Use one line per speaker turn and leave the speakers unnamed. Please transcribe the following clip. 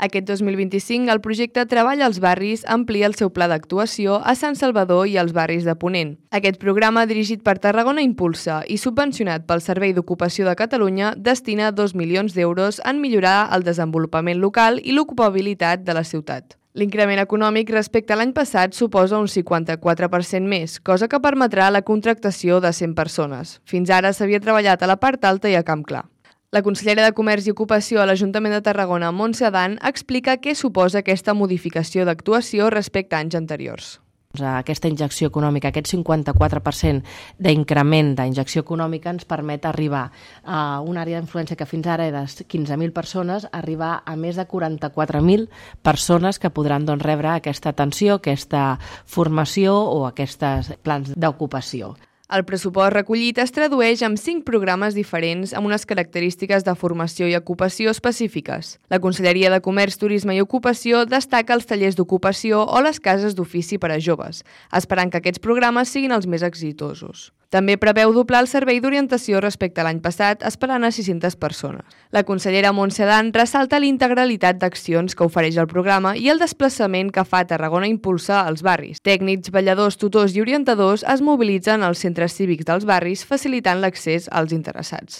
Aquest 2025, el projecte Treball als barris amplia el seu pla d'actuació a Sant Salvador i als barris de Ponent. Aquest programa, dirigit per Tarragona Impulsa i subvencionat pel Servei d'Ocupació de Catalunya, destina 2 milions d'euros en millorar el desenvolupament local i l'ocupabilitat de la ciutat. L'increment econòmic respecte a l'any passat suposa un 54% més, cosa que permetrà la contractació de 100 persones. Fins ara s'havia treballat a la part alta i a Camp Clar. La consellera de Comerç i Ocupació a l'Ajuntament de Tarragona, Montse Adán, explica què suposa aquesta modificació d'actuació respecte a anys anteriors.
Aquesta injecció econòmica, aquest 54% d'increment d'injecció econòmica ens permet arribar a una àrea d'influència que fins ara era de 15.000 persones, arribar a més de 44.000 persones que podran rebre aquesta atenció, aquesta formació o aquests plans d'ocupació.
El pressupost recollit es tradueix en 5 programes diferents amb unes característiques de formació i ocupació específiques. La Conselleria de Comerç, Turisme i Ocupació destaca els tallers d'ocupació o les cases d'ofici per a joves, esperant que aquests programes siguin els més exitosos. També preveu doblar el servei d'orientació respecte a l'any passat, esperant a 600 persones. La consellera Montse Adán ressalta l'integralitat d'accions que ofereix el programa i el desplaçament que fa Tarragona Impulsa als barris. Tècnics, balladors, tutors i orientadors es mobilitzen als centres cívics dels barris, facilitant l'accés als interessats.